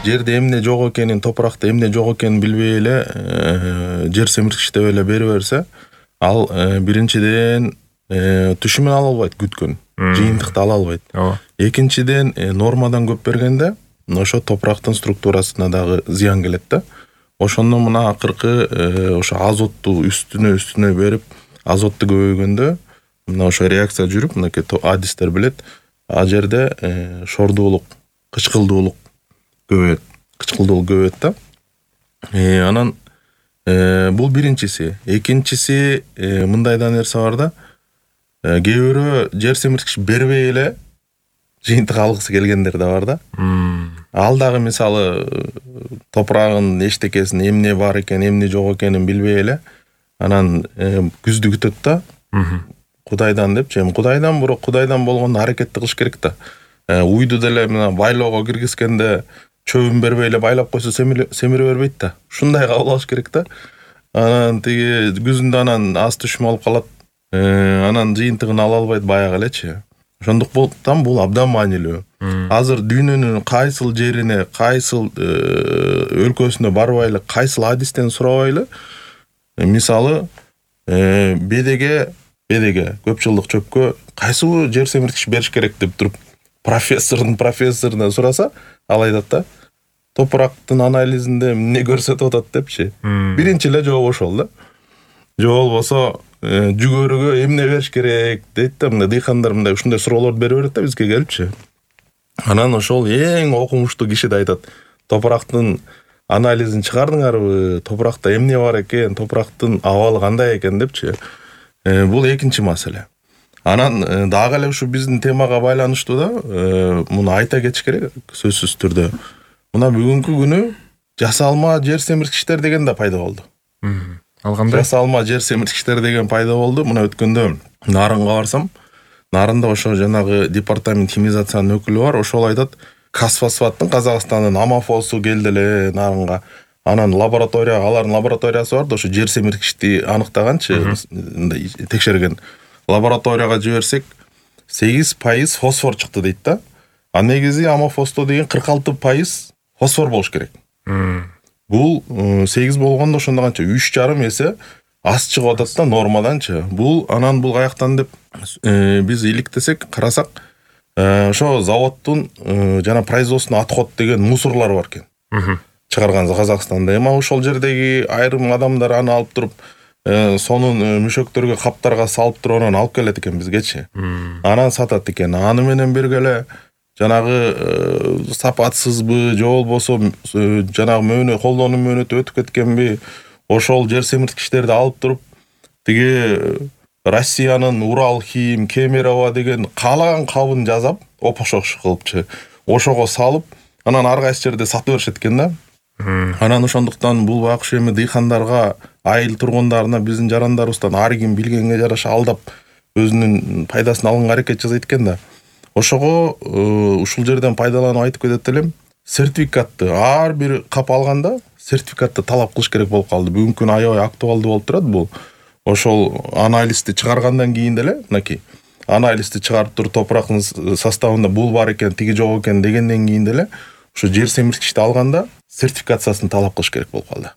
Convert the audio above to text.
жерде эмне жок экенин, топуракта эмне жок экенин билбей эле жер семирткич деп эле бере берсе, ал биринчиден түшүмүн ала албайт, күткөн жыйынтыкты ала албайт. Экинчиден нормадан көп бергенде ошо топурактын структурасына дагы зыян келет да. Ошондон мына акыркы ошо азотту үстүнө берип, азотту көбөйгөндө мына ошо реакция жүрүп, мынакей адистер билет, ал жерде шордуулук, кычкылдуулук көбөйөт да. Анан бул биринчиси. Экинчиси мындай да нерсе бар да. Кээ бирөө жер семирткич бербей эле жыйынтык алгысы келгендер да бар да. Ал дагы мисалы топурагын эчтекесин эмне бар экен, эмне жок экенин билбей эле анан күздү күтөт да. Кудайдан депчи, кудайдан бирок кудайдан болгондо аракетти кылыш керек да. Уйду деле мына байлоого киргизгенде чөбүн бербей эле байлап койсо семире бербейт да. Ушундай кабыл алыш керек да. Анан тиги күзүндө анан аз түшүм алып калат. Анан жыйынтыгын ала албайт баягы элечи. Ошондуктан бул абдан маанилүү. Азыр дүйнөнүн кайсыл жерине, кайсыл өлкөсүнө барбайлы, кайсыл адистен сурабайлы, мисалы бедеге көп жылдык чөпкө кайсыл жер семирткич бериш керек деп туруп профессорунан сураса, ал айтат да, топурактын анализинде эмне көрсөтүп атат депчи. Биринчи эле жооп ошол да. Же болбосо жүгөрүгө эмне бериш керек дейт да, мына дыйкандар мындай ушундай суроолорду бере берет да бизге келипчи. Анан ошол эң окумуштуу киши да айтат, топурактын анализин чыгардыңарбы, топуракта эмне бар экен, топурактын абалы кандай экен депчи. Бул экинчи маселе. Анан дагы эле ушу биздин темага байланыштуу да, муну айта кетиш керек сөзсүз түрдө. Мына бүгүнкү күнү жасалма жер семирткичтер деген да пайда болду. Ал кандай? Жасалма жер семирткичтер деген пайда болду. Мына өткөндө Нарынга барсам, Нарында ошо жанагы департамент химизациянын өкүлү бар, ошол айтат, Казфосфаттын Казакстандын амофосу келди эле Нарынга. Анан алардын лабораториясы бар да, ошо жер семирткичти аныктаганчы, текшерген. Лабораторияга жиберсек 8% фосфор чыкты дейт да. А негизи амофосто деген 46% фосфор болуш керек. Бул 8 болгондо ошондо канча 3,5 эсе аз чыгып атат да нормаданчы. Бул каяктан деп биз иликтесек, карасак, ошо заводдун жана производственный отход деген мусорлар бар экен. Чыгарган Казакстанда. Эми ошол жердеги айрым адамдар аны алып туруп, сонун мүшөктөргө, каптарга салып туруп анан алып келет экен бизгечи. Анан сатат экен. Аны менен бирге эле жанагы сапатсызбы, же болбосо жанагы колдонуу мөөнөтү өтүп кеткенби, ошол жер семирткичтерди алып туруп, тиги Россиянын Уралхим, Кемерово деген каалаган кабын жазап, опошош кылыпчы, ошого салып, анан ар кайсы жерде сатып беришет экен да. Анан ошондуктан бул байкуш эми дыйкандарга, айыл тургундарына, биздин жарандарыбыздан ар ким билгенге жараша алдап өзүнүн пайдасын алганга аракет жасайт экен да. Ошого ушул жерден пайдаланып айтып кетет элем, сертификатты ар бир кап алганда сертификатты талап кылыш керек болуп калды. Бүгүнкү күнү аябай актуалдуу болуп турат бул. Ошол анализди чыгаргандан кийин деле, мынакей анализди чыгарып туруп топурактын составында бул бар экен, тиги жок экен дегенден кийин деле ошо жер семирткичти алганда сертификациясын талап кылыш керек болуп калды.